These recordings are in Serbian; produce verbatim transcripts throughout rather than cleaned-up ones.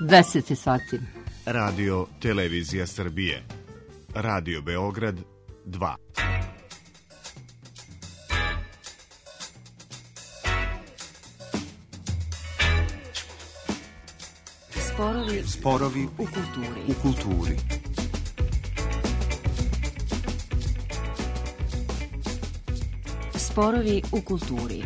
deset sati. Radio Televizija Srbije. Radio Beograd dva. Sporovi, Sporovi u kulturi. U kulturi. Sporovi u kulturi.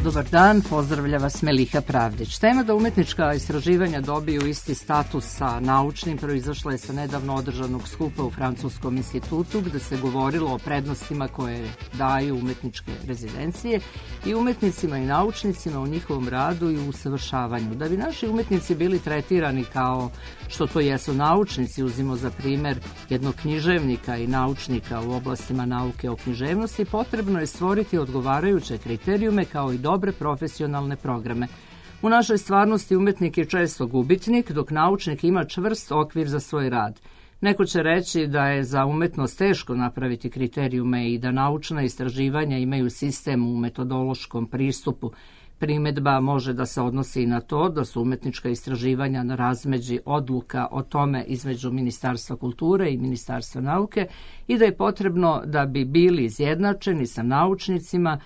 Dobar dan, pozdravlja vas Meliha Pravdić. Tema da umetnička istraživanja dobiju isti status sa naučnim proizašla je sa nedavno održanog skupa u Francuskom institutu gde se govorilo o prednostima koje daju umetničke rezidencije i umetnicima i naučnicima u njihovom radu i usavršavanju. Da bi naši umetnici bili tretirani kao što to jesu naučnici, uzimo za primer jednog književnika i naučnika u oblastima nauke o književnosti, potrebno je stvoriti odgovarajuće kriterijume kao i dobre profesionalne programe. U našoj stvarnosti umetnik je često gubitnik, dok naučnik ima čvrst okvir za svoj rad. Neko će reći da je za umetnost teško napraviti kriterijume i da naučna istraživanja imaju sistem u metodološkom pristupu. Primedba može da se odnosi i na to da su umetnička istraživanja na razmeđi odluka o tome između Ministarstva kulture i Ministarstva nauke i da je potrebno da bi bili izjednačeni sa naučnicima,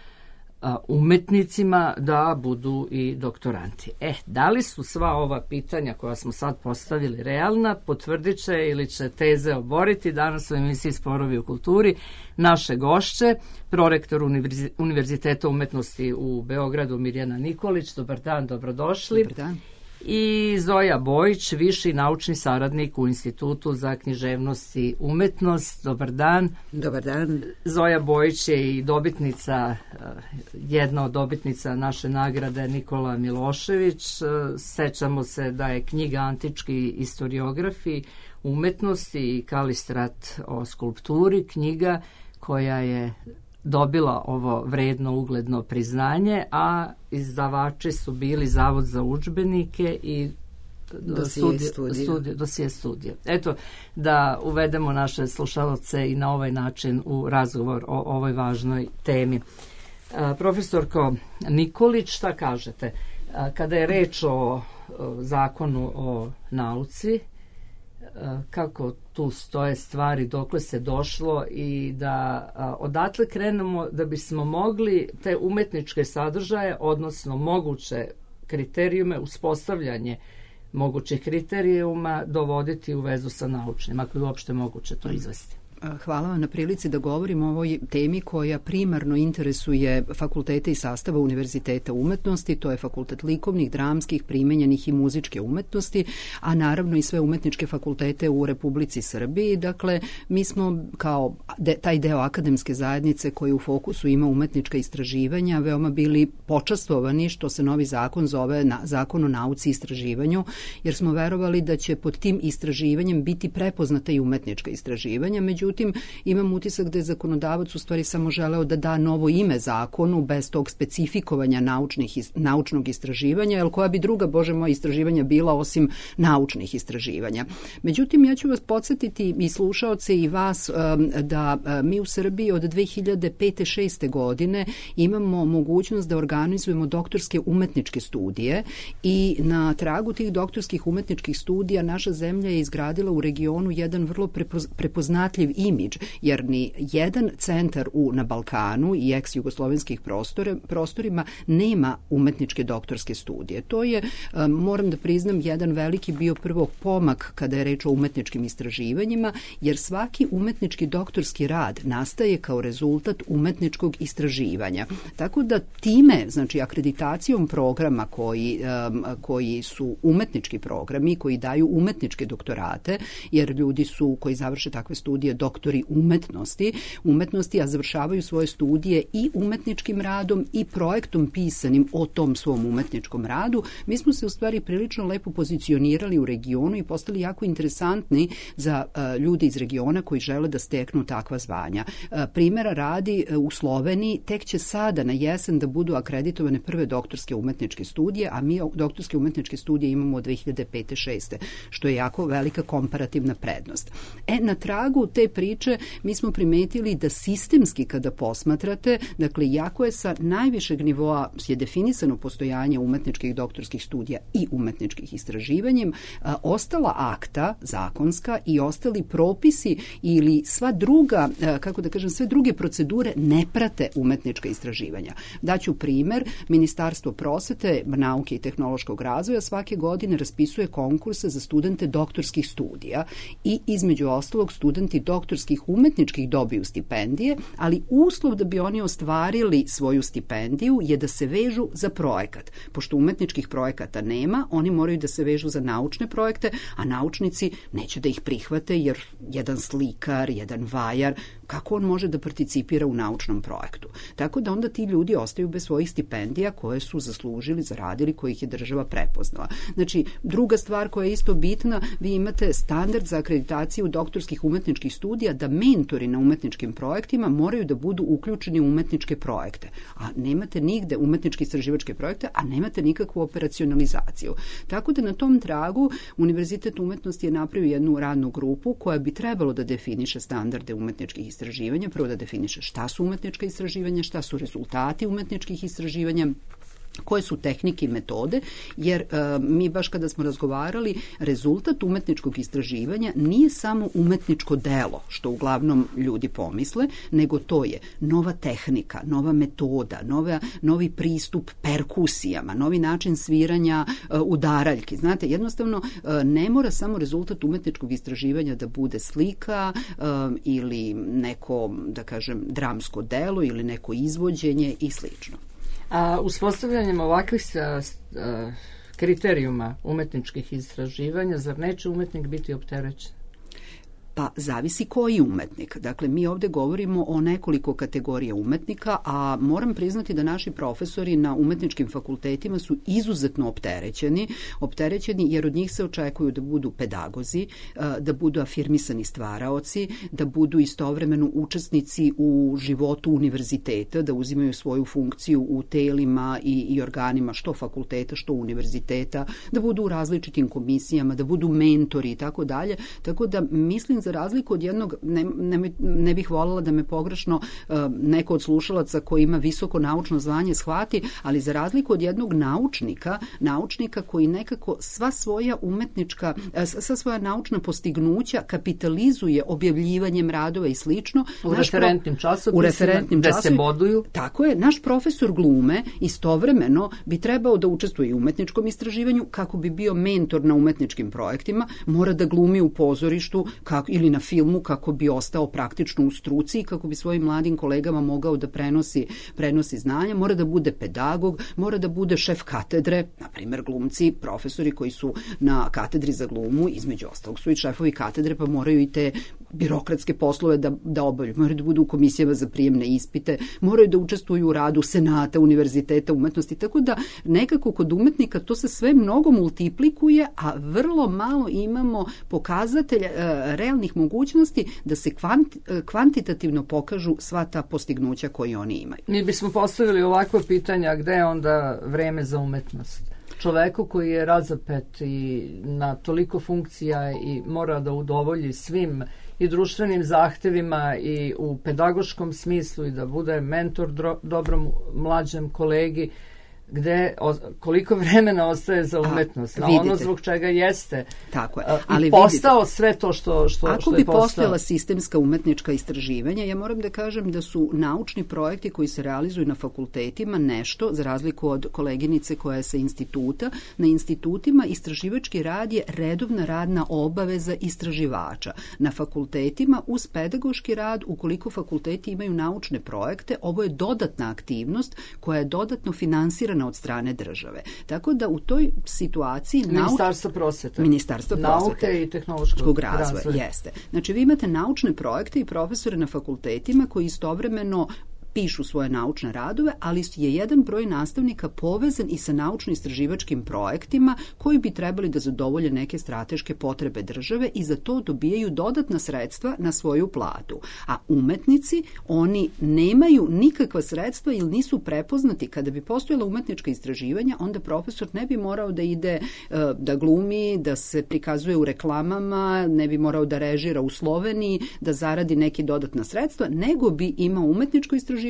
umetnicima da budu i doktoranti. E, da li su sva ova pitanja koja smo sad postavili realna, potvrdit će ili će teze oboriti danas u emisiji Sporovi u kulturi naše gošće, prorektor Univerziteta umetnosti u Beogradu Mirjana Nikolić. Dobar dan, dobrodošli. Dobar dan. I Zoja Bojić, viši naučni saradnik u Institutu za književnost i umetnost. Dobar dan. Dobar dan. Zoja Bojić je i dobitnica, jedna od dobitnica naše nagrade Nikola Milošević. Sećamo se da je knjiga Antički istoriografi umetnosti i Kalistrat o skulpturi, knjiga koja je dobila ovo vredno ugledno priznanje, a izdavači su bili Zavod za udžbenike i Dosije studija. Dosije studija. Eto, da uvedemo naše slušalce i na ovaj način u razgovor o ovoj važnoj temi. A, profesorko Nikolić, šta kažete? A, kada je reč o, o zakonu o nauci, kako tu stoje stvari, dokle se došlo i da a, odatle krenemo da bismo mogli te umetničke sadržaje, odnosno moguće kriterijume, uspostavljanje mogućih kriterijuma dovoditi u vezu sa naučnim, ako je uopšte moguće to izvesti. Hvala vam na prilici da govorim o ovoj temi koja primarno interesuje fakultete i sastava Univerziteta umetnosti, to je fakultet likovnih, dramskih, primenjenih i muzičke umetnosti, a naravno i sve umetničke fakultete u Republici Srbiji. Dakle, mi smo kao de, taj deo akademske zajednice koji u fokusu ima umetnička istraživanja veoma bili počastvovani što se novi zakon zove na, Zakon o nauci i istraživanju, jer smo verovali da će pod tim istraživanjem biti prepoznata i umetnička istraživanja. Međutim, imam utisak da je zakonodavac u stvari samo želeo da da novo ime zakonu bez tog specifikovanja naučnih, naučnog istraživanja, jer koja bi druga, Bože moja, istraživanja bila osim naučnih istraživanja. Međutim, ja ću vas podsjetiti i slušaoce i vas da mi u Srbiji od dve hiljade pete šeste godine imamo mogućnost da organizujemo doktorske umetničke studije i na tragu tih doktorskih umetničkih studija naša zemlja je izgradila u regionu jedan vrlo prepoznatljiv imidž, jer ni jedan centar u, na Balkanu i ex-jugoslovenskih prostore, prostorima nema umetničke doktorske studije. To je, moram da priznam, jedan veliki bio prvo pomak kada je reč o umetničkim istraživanjima, jer svaki umetnički doktorski rad nastaje kao rezultat umetničkog istraživanja. Tako da time, znači akreditacijom programa koji, koji su umetnički programi, koji daju umetničke doktorate, jer ljudi su koji završe takve studije doktori umetnosti, umetnosti, a završavaju svoje studije i umetničkim radom i projektom pisanim o tom svom umetničkom radu, mi smo se u stvari prilično lepo pozicionirali u regionu i postali jako interesantni za uh, ljude iz regiona koji žele da steknu takva zvanja. Uh, primjera radi uh, u Sloveniji tek će sada na jesen da budu akreditovane prve doktorske umetničke studije, a mi doktorske umetničke studije imamo od dve hiljade pete šeste, što je jako velika komparativna prednost. E, na tragu te priče mi smo primetili da sistemski kada posmatrate, dakle, jako je sa najvišeg nivoa je definisano postojanje umetničkih doktorskih studija i umetničkih istraživanjem, a, ostala akta zakonska i ostali propisi ili sva druga, a, kako da kažem, sve druge procedure ne prate umetnička istraživanja. Daću primer, Ministarstvo prosvete, nauke i tehnološkog razvoja svake godine raspisuje konkurse za studente doktorskih studija i između ostalog studenti doktorskih umetničkih dobiju stipendije, ali uslov da bi oni ostvarili svoju stipendiju je da se vežu za projekat. Pošto umetničkih projekata nema, oni moraju da se vežu za naučne projekte, a naučnici neće da ih prihvate jer jedan slikar, jedan vajar, kako on može da participira u naučnom projektu. Tako da onda ti ljudi ostaju bez svojih stipendija koje su zaslužili, zaradili, kojih je država prepoznala. Znači, druga stvar koja je isto bitna, vi imate standard za akreditaciju doktorskih umetničkih studija da mentori na umetničkim projektima moraju da budu uključeni u umetničke projekte. A nemate nigde umetničke istraživačke projekte, a nemate nikakvu operacionalizaciju. Tako da na tom tragu Univerzitet umetnosti je napravio jednu radnu grupu koja bi trebalo da definiše standarde umetničkih istraživanja, prvo da definiše šta su umetnička istraživanja, šta su rezultati umetničkih istraživanja, koje su tehnike i metode, jer e, mi baš kada smo razgovarali, rezultat umetničkog istraživanja nije samo umetničko delo, što uglavnom ljudi pomisle, nego to je nova tehnika, nova metoda, nova, novi pristup perkusijama, novi način sviranja e, udaraljki. Znate, jednostavno e, ne mora samo rezultat umetničkog istraživanja da bude slika e, ili neko, da kažem, dramsko delo ili neko izvođenje i slično. A uspostavljanjem ovakvih a, a, kriterijuma umetničkih istraživanja, zar neće umetnik biti opterećen? Pa zavisi koji umetnik. Dakle, mi ovde govorimo o nekoliko kategorija umetnika, a moram priznati da naši profesori na umetničkim fakultetima su izuzetno opterećeni, opterećeni jer od njih se očekuju da budu pedagozi, da budu afirmisani stvaraoci, da budu istovremeno učesnici u životu univerziteta, da uzimaju svoju funkciju u telima i, i organima što fakulteta, što univerziteta, da budu u različitim komisijama, da budu mentori i tako dalje. Tako da mislim, za razliku od jednog, ne, ne, ne bih voljela da me pogrešno uh, neko od slušalaca koji ima visoko naučno zvanje shvati, ali za razliku od jednog naučnika, naučnika koji nekako sva svoja umetnička, uh, sva svoja naučna postignuća kapitalizuje objavljivanjem radova i slično. U referentnim časopisima, u referentnim gde časopisima, se boduju. Tako je, naš profesor glume istovremeno bi trebao da učestvuje u umetničkom istraživanju kako bi bio mentor na umetničkim projektima, mora da glumi u pozorištu kako ili na filmu kako bi ostao praktično u struci i kako bi svojim mladim kolegama mogao da prenosi, prenosi znanja, mora da bude pedagog, mora da bude šef katedre, na primjer glumci, profesori koji su na katedri za glumu, između ostalog su i šefovi katedre, pa moraju i te birokratske poslove da, da obavljaju, moraju da budu u komisijama za prijemne ispite, moraju da učestvuju u radu senata, univerziteta, umetnosti, tako da nekako kod umetnika to se sve mnogo multiplikuje, a vrlo malo imamo pokazatelja e, realnih mogućnosti da se kvant, kvantitativno pokažu sva ta postignuća koje oni imaju. Mi bismo postavili ovakva pitanja, gde je onda vreme za umetnost? Čoveku koji je razapet i na toliko funkcija i mora da udovolji svim i društvenim zahtevima i u pedagoškom smislu i da bude mentor dro, dobrom mlađem kolegi, gde o, koliko vremena ostaje za umetnost, a, a ono zbog čega jeste. Tako je. Ali i postao vidite, sve to što, što, ako što je bi postao. postojala sistemska umetnička istraživanja, ja moram da kažem da su naučni projekti koji se realizuju na fakultetima nešto, za razliku od koleginice koja je sa instituta, na institutima istraživački rad je redovna radna obaveza istraživača. Na fakultetima uz pedagoški rad, ukoliko fakulteti imaju naučne projekte, ovo je dodatna aktivnost koja je dodatno finansirana od strane države. Tako da u toj situaciji Ministarstvo prosvete, Ministarstvo prosvete, nauke i tehnološkog razvoja. razvoja jeste. Znači vi imate naučne projekte i profesore na fakultetima koji istovremeno pišu svoje naučne radove, ali je jedan broj nastavnika povezan i sa naučno-istraživačkim projektima koji bi trebali da zadovolje neke strateške potrebe države i za to dobijaju dodatna sredstva na svoju platu. A umetnici, oni nemaju nikakva sredstva ili nisu prepoznati. Kada bi postojala umetnička istraživanja, onda profesor ne bi morao da ide da glumi, da se prikazuje u reklamama, ne bi morao da režira u Sloveniji, da zaradi neki dodatna sredstva, nego bi imao umetničko istraživanje,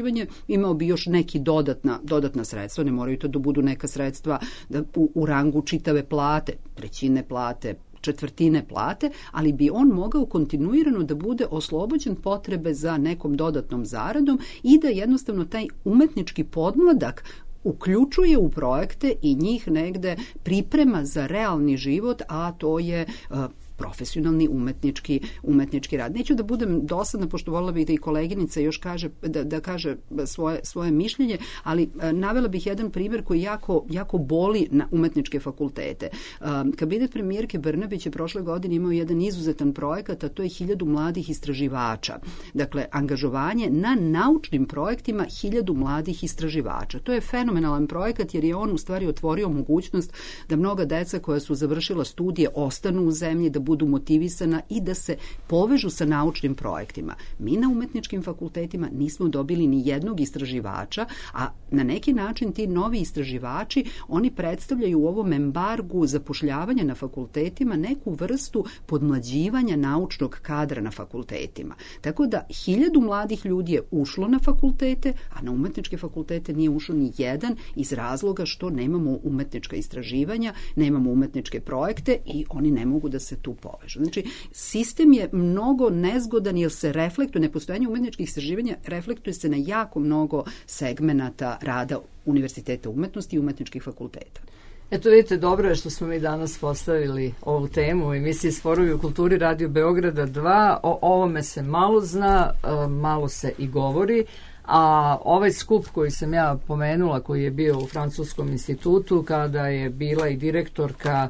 imao bi još neki dodatna, dodatna sredstva, ne moraju to da budu neka sredstva da, u, u rangu čitave plate, trećine plate, četvrtine plate, ali bi on mogao kontinuirano da bude oslobođen potrebe za nekom dodatnom zaradom i da jednostavno taj umetnički podmladak uključuje u projekte i njih negde priprema za realni život, a to je uh, profesionalni umetnički, umetnički rad. Neću da budem dosadna, pošto volila bih da i koleginica još kaže, da, da kaže svoje, svoje mišljenje, ali a, navela bih jedan primjer koji jako, jako boli na umetničke fakultete. A, kabinet premijerke Brnabić je prošle godine imao jedan izuzetan projekat, a to je hiljadu mladih istraživača. Dakle, angažovanje na naučnim projektima hiljadu mladih istraživača. To je fenomenalan projekat jer je on u stvari otvorio mogućnost da mnoga deca koja su završila studije ostanu u zemlji, da budu motivisana i da se povežu sa naučnim projektima. Mi na umetničkim fakultetima nismo dobili ni jednog istraživača, a na neki način ti novi istraživači, oni predstavljaju u ovom embargu zapošljavanja na fakultetima neku vrstu podmlađivanja naučnog kadra na fakultetima. Tako da hiljadu mladih ljudi je ušlo na fakultete, a na umetničke fakultete nije ušlo ni jedan iz razloga što nemamo umetnička istraživanja, nemamo umetničke projekte i oni ne mogu da se tu povežu. Znači, sistem je mnogo nezgodan jer se reflektuje, nepostojanje umetničkih istraživanja reflektuje se na jako mnogo segmenata rada Univerziteta umetnosti i umetničkih fakulteta. Eto vidite, dobro je što smo mi danas postavili ovu temu u emisiji Sporovi u kulturi Radio Beograda dva. O ovome se malo zna, malo se i govori, a ovaj skup koji sam ja pomenula, koji je bio u Francuskom institutu, kada je bila i direktorka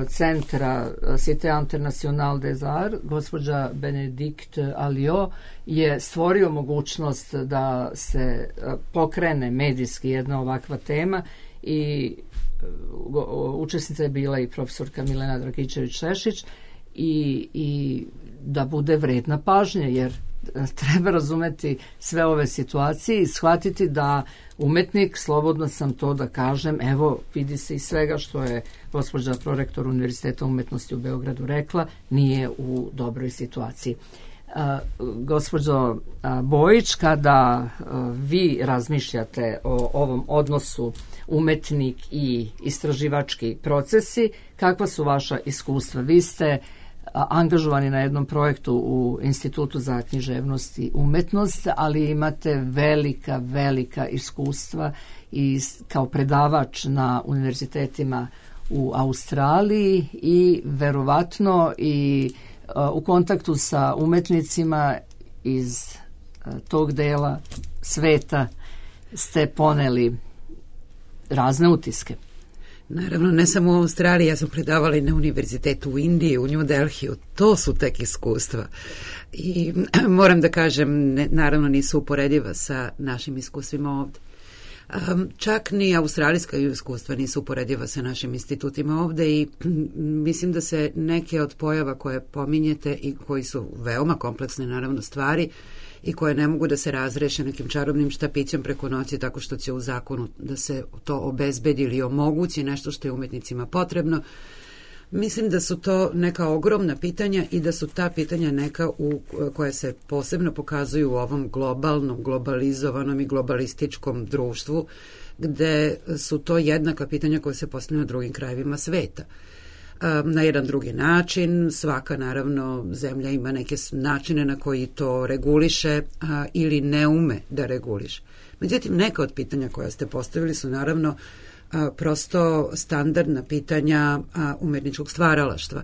centra Cité Internationale des Arts, gospođa Benedikte Alliot, je stvorio mogućnost da se pokrene medijski jedna ovakva tema i učesnica je bila i profesorka Milena Dragičević-Šešić i, i da bude vredna pažnje, jer treba razumeti sve ove situacije i shvatiti da umetnik, slobodno sam to da kažem, evo vidi se iz svega što je gospođa prorektor Univerziteta umetnosti u Beogradu rekla, nije u dobroj situaciji. A, gospođo a, Bojić, kada a, vi razmišljate o ovom odnosu umetnik i istraživački procesi, kakva su vaša iskustva? Vi ste angažovani na jednom projektu u Institutu za književnost i umetnost, ali imate velika, velika iskustva i kao predavač na univerzitetima u Australiji i verovatno i u kontaktu sa umetnicima iz tog dela sveta ste poneli razne utiske. Naravno, ne samo u Australiji, ja sam predavala i na univerzitetu u Indiji, u New Delhiju, to su tek iskustva. I moram da kažem, ne, naravno nisu uporediva sa našim iskustvima ovde. Um, čak ni australijska iskustva nisu uporediva sa našim institutima ovde i mislim da se neke od pojava koje pominjete i koji su veoma kompleksne naravno stvari i koje ne mogu da se razreše nekim čarobnim štapićem preko noći tako što će u zakonu da se to obezbedi ili omogući nešto što je umetnicima potrebno. Mislim da su to neka ogromna pitanja i da su ta pitanja neka u, koja se posebno pokazuju u ovom globalnom, globalizovanom i globalističkom društvu, gde su to jednaka pitanja koja se postavljaju na drugim krajevima sveta. Na jedan drugi način, svaka naravno zemlja ima neke načine na koji to reguliše a, ili ne ume da reguliše. Međutim, neka od pitanja koja ste postavili su naravno a, prosto standardna pitanja a, umetničkog stvaralaštva.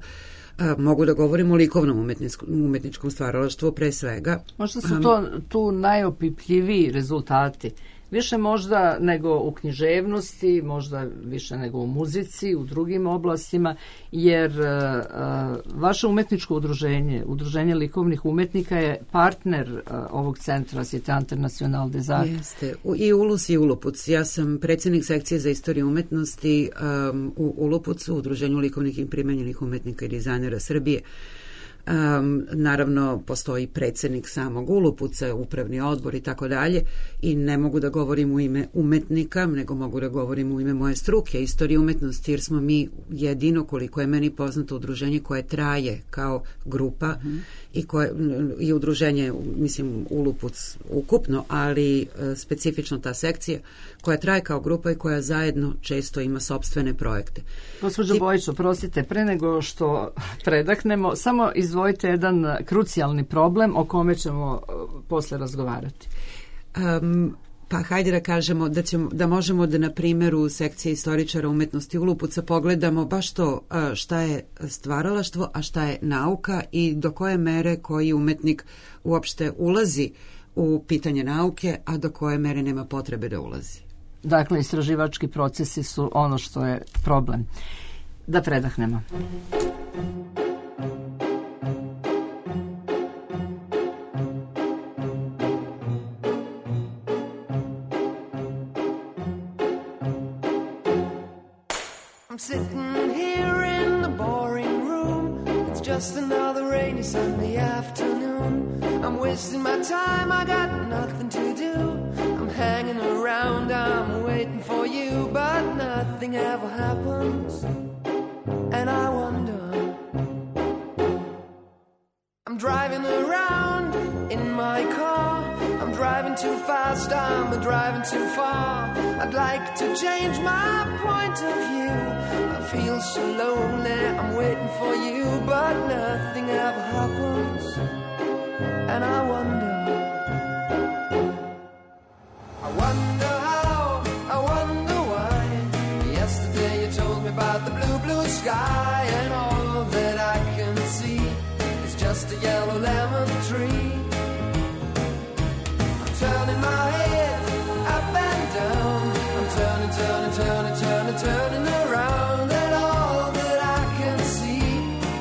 A, mogu da govorim o likovnom umetničkom, umetničkom stvaralaštvu pre svega. Možda su to tu najopipljiviji rezultati Više možda nego u književnosti, možda više nego u muzici, u drugim oblastima, jer uh, vaše umetničko udruženje, Udruženje likovnih umetnika je partner uh, ovog centra Cité International des Arts. Jeste, i Ulus i Ulupuc. Ja sam predsjednik sekcije za istoriju umetnosti um, u Ulupucu, Udruženju likovnih i primenjenih umetnika i dizajnera Srbije. Um, naravno postoji predsjednik samog Ulupuca, upravni odbor i tako dalje, i ne mogu da govorim u ime umetnika, nego mogu da govorim u ime moje struke, istorije umetnosti, jer smo mi jedino, koliko je meni poznato, udruženje koje traje kao grupa mm-hmm. i, koje, i udruženje, mislim, Ulupuc ukupno, ali uh, specifično ta sekcija koja traje kao grupa i koja zajedno često ima sopstvene projekte. Gospođo I... Bojić, oprostite, pre nego što predahnemo, samo izvojite jedan krucijalni problem o kome ćemo uh, posle razgovarati. Um, pa hajde da kažemo da, ćemo, da možemo da na primjeru sekcije istoričara umetnosti Ulupuca pogledamo baš to uh, šta je stvaralaštvo, a šta je nauka i do koje mere koji umetnik uopšte ulazi u pitanje nauke, a do koje mere nema potrebe da ulazi. Dakle, istraživački procesi su ono što je problem. Da predahnemo. I'm sitting here in the boring room. It's just another rainy Sunday afternoon. I'm wasting my time, I got nothing to do. I'm hanging around, I'm waiting for you, but nothing ever happens. And I wonder, I'm driving around in my car. I'm driving too fast, I'm driving too far. I'd like to change my point of view. I feel so lonely, I'm waiting for you, but nothing ever happens. And I wonder, I wonder how, I wonder why. Yesterday you told me about the blue, blue sky, and all that I can see is just a yellow lemon tree. I'm turning my head up and down. I'm turning, turning, turning, turning, turning around, and all that I can see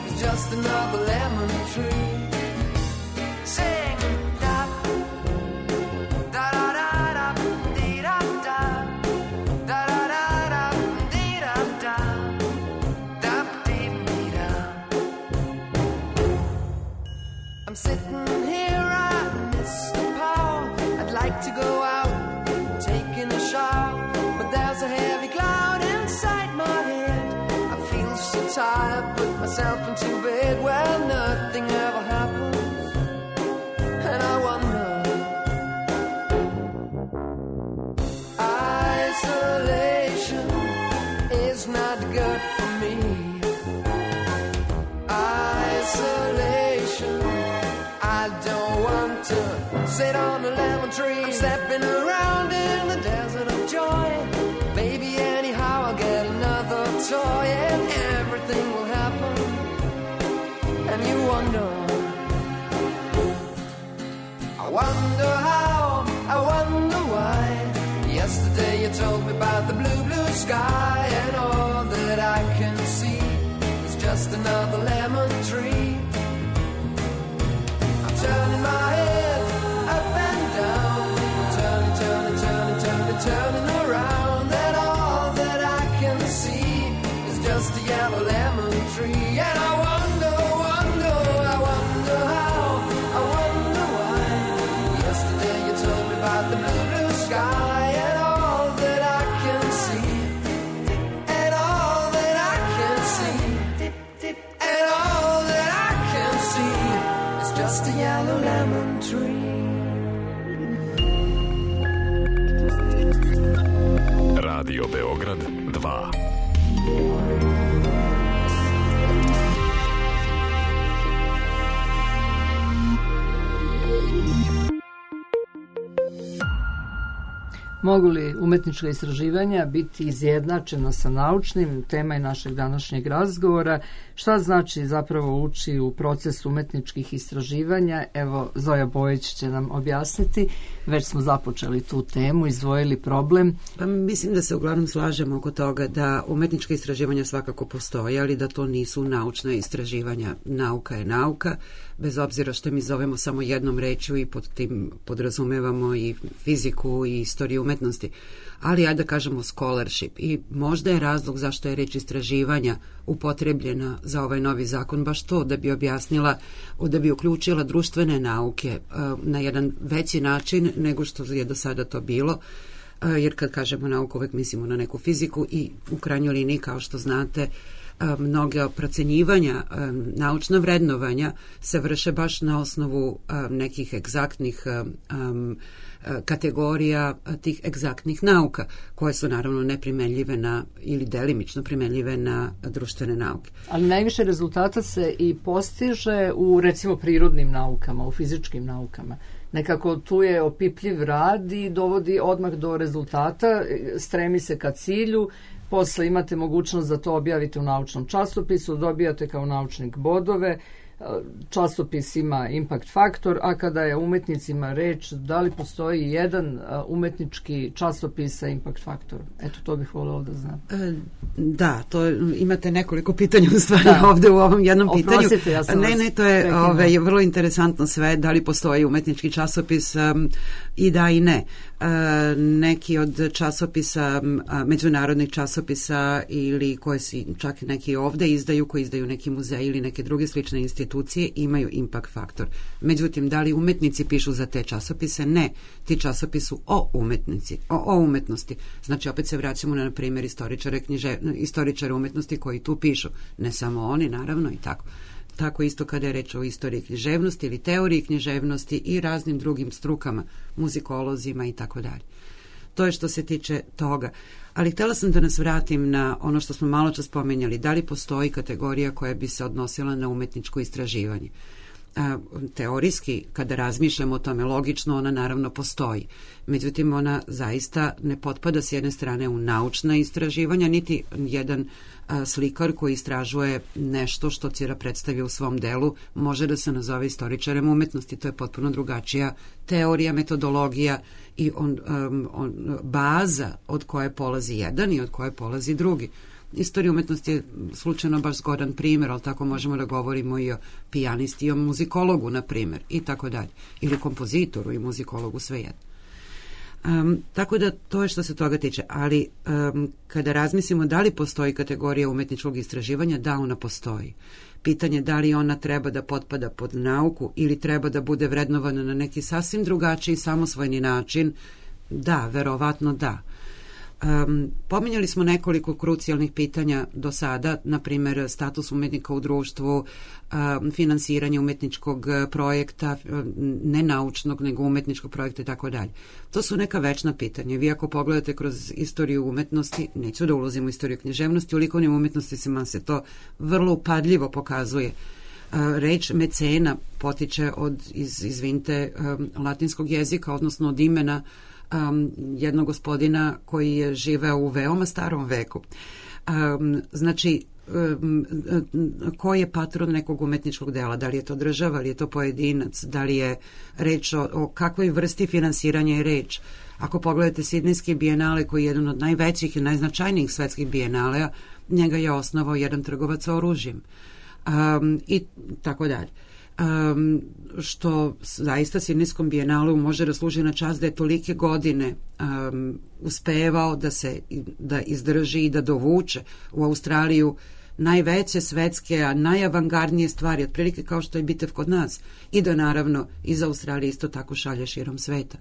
is just another lemon tree. Sing da da da da da dee da da da da da da dee da da da dee dee da. I'm sitting here, I miss the power. I'd like to go out, taking a shower, but there's a heavy cloud inside my head. I feel so tired, put myself into bed. Well, nothing ever happens. And I wonder, isolation is not good for me. Isolation, I don't want to sit on a lemon tree. I'm stepping around in the desert of joy. Baby, anyhow I'll get another toy, and everything will happen. And you wonder, I wonder how, I wonder why. Yesterday you told me about the blue, blue sky, and all that I can see is just another lemon tree. I'm turning my head up and down. I'm turning, turning, turning, turning, turning around, and all that I can see is just a yellow lemon tree. And I wonder, wonder, I wonder how, I wonder why. Yesterday you told me about the blue, blue sky, and all that I can see, and all that I can see, and all that I can see is just a yellow lemon tree. Radio Beograd dva. Mogu li umetnička istraživanja biti izjednačena sa naučnim? Tema je našeg današnjeg razgovora. Šta znači zapravo ući u proces umetničkih istraživanja? Evo, Zoja Bojić će nam objasniti. Već smo započeli tu temu, izdvojili problem. Pa mislim da se uglavnom slažemo oko toga da umetnička istraživanja svakako postoje, ali da to nisu naučna istraživanja. Nauka je nauka, bez obzira što mi zovemo samo jednom rečju i pod tim podrazumevamo i fiziku i istoriju umetnosti. Ali ajde da kažemo scholarship. I možda je razlog zašto je reč istraživanja upotrebljena za ovaj novi zakon baš to, da bi objasnila, da bi uključila društvene nauke na jedan veći način nego što je do sada to bilo. Jer kad kažemo nauku uvek mislimo na neku fiziku i u krajnjoj liniji, kao što znate, mnoge procenjivanja, naučna vrednovanja se vrše baš na osnovu nekih egzaktnih kategorija tih egzaktnih nauka, koje su naravno neprimenljive na, ili delimično primenljive na društvene nauke. Ali najviše rezultata se i postiže u, recimo, prirodnim naukama, u fizičkim naukama. Nekako tu je opipljiv rad i dovodi odmah do rezultata, stremi se ka cilju, posle imate mogućnost da to objavite u naučnom časopisu, dobijate kao naučnik bodove, časopis ima impact faktor, a kada je umetnicima reč, da li postoji jedan umetnički časopis sa impact faktorom? Eto, to bih voljela da znam. E, da, to imate nekoliko pitanja u stvari da. Ovde u ovom jednom Oprostite, pitanju. Ja sam ne, ne, to je ove, vrlo interesantno sve, da li postoji umetnički časopis um, i da i ne. Uh, neki od časopisa, uh, međunarodnih časopisa ili koje si čak neki ovde izdaju, koji izdaju neki muzeji ili neke druge slične institucije, imaju impact faktor. Međutim, da li umetnici pišu za te časopise? Ne. Ti časopisi su o umetnici, o, o umetnosti. Znači, opet se vraćamo na, na primjer, istoričare, knjiže, istoričare umetnosti koji tu pišu. Ne samo oni, naravno, i tako. Tako isto kada je reč o istoriji književnosti ili teoriji književnosti i raznim drugim strukama, muzikolozima i tako dalje. To je što se tiče toga. Ali htjela sam da nas vratim na ono što smo malo čas spomenjali. Da li postoji kategorija koja bi se odnosila na umetničko istraživanje? A, teorijski, kada razmišljamo o tome, logično ona naravno postoji. Međutim, ona zaista ne potpada s jedne strane u naučna istraživanja, niti jedan a, slikar koji istražuje nešto što Cira predstavi u svom delu može da se nazove istoričarem umetnosti. To je potpuno drugačija teorija, metodologija i on, um, on, baza od koje polazi jedan i od koje polazi drugi. Istorija umetnosti je slučajno baš zgodan primjer, ali tako možemo da govorimo i o pijanisti i o muzikologu, na primjer, i tako dalje. Ili kompozitoru i muzikologu, svejedno. Um, tako da to je što se toga tiče. Ali um, kada razmislimo da li postoji kategorija umetničkog istraživanja, da, ona postoji. Pitanje da li ona treba da potpada pod nauku ili treba da bude vrednovana na neki sasvim drugačiji, samosvojni način, da, verovatno da. Um, pominjali smo nekoliko krucijalnih pitanja do sada, na primjer status umetnika u društvu, um, finansiranje umetničkog projekta, ne naučnog nego umetničkog projekta i tako dalje. To su neka večna pitanja. Vi ako pogledate kroz istoriju umetnosti, neću da ulazim u istoriju književnosti, u likovnim umetnostima se to vrlo upadljivo pokazuje. Uh, reč mecena potiče od, iz, izvinite, um, latinskog jezika, odnosno od imena Um, jednog gospodina koji je živeo u veoma starom veku. Um, znači, um, ko je patron nekog umetničkog dela? Da li je to država, da li je to pojedinac, da li je reč o, o kakvoj vrsti finansiranja je reč? Ako pogledate Sidnejski bijenale, koji je jedan od najvećih i najznačajnijih svetskih bijenalea, njega je osnovao jedan trgovac oružjem. Um, I tako dalje. Um, što zaista Sidnejskom bijenalu može da služi na čast da je tolike godine um, uspevao da se da izdrži i da dovuče u Australiju najveće svetske, a najavangardnije stvari, otprilike kao što je bitev kod nas, i da naravno iz Australije isto tako šalje širom sveta.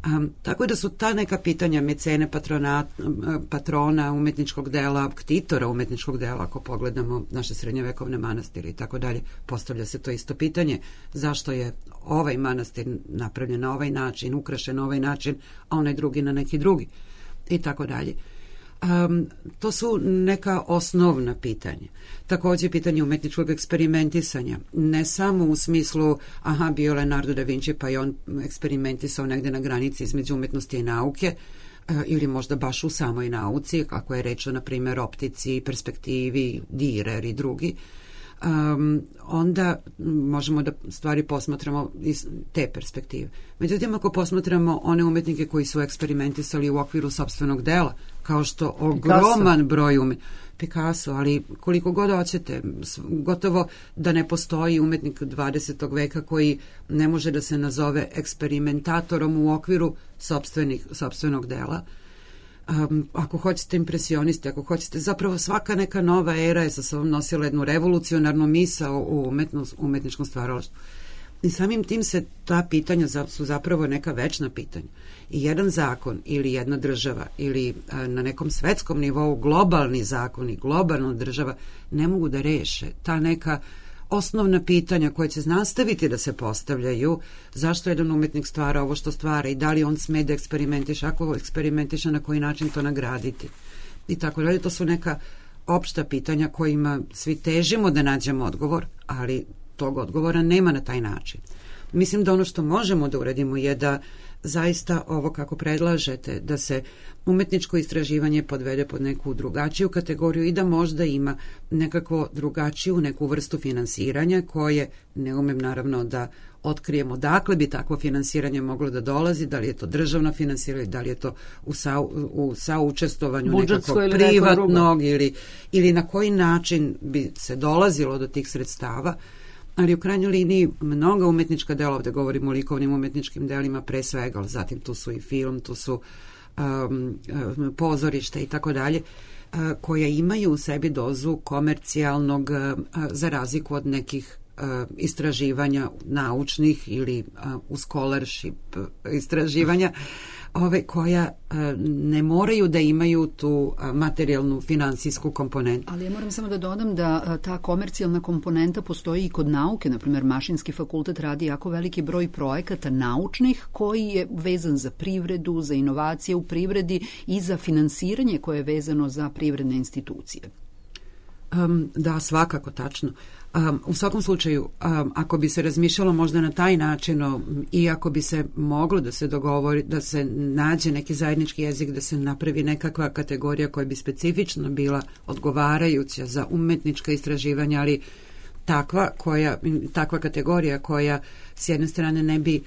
Um, tako da su ta neka pitanja mecene, patrona, patrona umetničkog dela, ktitora umetničkog dela, ako pogledamo naše srednjovekovne manastire i tako dalje, postavlja se to isto pitanje, zašto je ovaj manastir napravljen na ovaj način, ukrašen na ovaj način, a onaj drugi na neki drugi i tako dalje. Um, to su neka osnovna pitanja. Također pitanje umetničkog eksperimentisanja. Ne samo u smislu, aha, bio Leonardo da Vinci pa je on eksperimentisao negde na granici između umetnosti i nauke, ili možda baš u samoj nauci, kako je reč o, na primjer, optici, perspektivi, Dürer i drugi, um, onda možemo da stvari posmatramo iz te perspektive. Međutim, ako posmatramo one umetnike koji su eksperimentisali u okviru sopstvenog dela, kao što ogroman Picasso. broj umetnika, Picasso, ali koliko god hoćete, gotovo da ne postoji umetnik dvadesetog veka koji ne može da se nazove eksperimentatorom u okviru sopstvenih, sopstvenog dela. Um, ako hoćete impresionisti, ako hoćete, zapravo svaka neka nova era je sa sobom nosila jednu revolucionarnu misao u umetnost, umetničkom stvaralaštvu. I samim tim se ta pitanja su zapravo neka večna pitanja. I jedan zakon ili jedna država ili a, na nekom svetskom nivou globalni zakon i globalna država ne mogu da reše ta neka osnovna pitanja koje će nastaviti da se postavljaju, zašto jedan umetnik stvara ovo što stvara i da li on sme da eksperimentiše, ako eksperimentiše, na koji način to nagraditi. I tako dalje, to su neka opšta pitanja kojima svi težimo da nađemo odgovor, ali tog odgovora nema na taj način. Mislim da ono što možemo da uradimo je da zaista ovo kako predlažete, da se umetničko istraživanje podvede pod neku drugačiju kategoriju i da možda ima nekako drugačiju neku vrstu finansiranja koje, ne umem naravno da otkrijemo dakle bi takvo finansiranje moglo da dolazi, da li je to državno finansiranje, da li je to u, sa, u saučestvovanju nekakvog privatnog ili, ili na koji način bi se dolazilo do tih sredstava. Ali u krajnjoj liniji mnoga umetnička dela, ovde govorimo o likovnim umetničkim delima pre svega, ali zatim tu su i film, tu su um, um, pozorište i tako dalje, koja imaju u sebi dozu komercijalnog uh, za razliku od nekih uh, istraživanja naučnih ili uh, u scholarship istraživanja, ove koja uh, ne moraju da imaju tu uh, materijalnu finansijsku komponentu. Ali ja moram samo da dodam da uh, ta komercijalna komponenta postoji i kod nauke. Naprimjer, Mašinski fakultet radi jako veliki broj projekata naučnih koji je vezan za privredu, za inovacije u privredi i za finansiranje koje je vezano za privredne institucije. Um, da, svakako, tačno. Um, u svakom slučaju, um, ako bi se razmišljalo možda na taj način um, i ako bi se moglo da se dogovori, da se nađe neki zajednički jezik, da se napravi nekakva kategorija koja bi specifično bila odgovarajuća za umetnička istraživanja, ali takva, koja, takva kategorija koja s jedne strane ne bi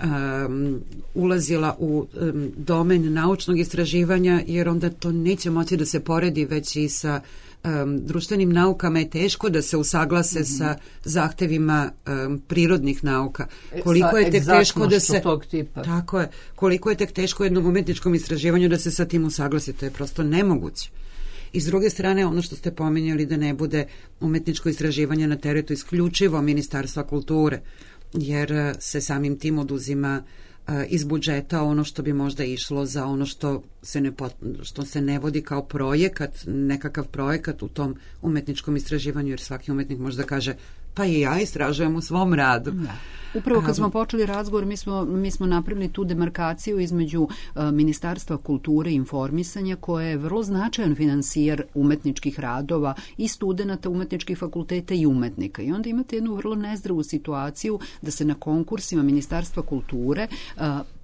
Um, ulazila u um, domen naučnog istraživanja, jer onda to neće moći da se poredi već i sa um, društvenim naukama je teško da se usaglase mm-hmm. sa zahtevima um, prirodnih nauka. Koliko je tek teško da se tog tipa. Tako je, koliko je tek teško jednom umetničkom istraživanju da se sa tim usaglasi, to je prosto nemoguće. I s druge strane, ono što ste pominjali da ne bude umetničko istraživanje na teretu isključivo Ministarstva kulture, jer se samim tim oduzima uh, iz budžeta ono što bi možda išlo za ono što se ne, pot, što se ne vodi kao projekat, nekakav projekat u tom umetničkom istraživanju, jer svaki umetnik možda kaže pa i ja istražujem u svom radu. Da. Upravo kad smo počeli razgovor, mi smo, mi smo napravili tu demarkaciju između uh, Ministarstva kulture i informisanja, koje je vrlo značajan finansijer umetničkih radova i studenata umetničkih fakulteta i umetnika. I onda imate jednu vrlo nezdravu situaciju da se na konkursima Ministarstva kulture uh,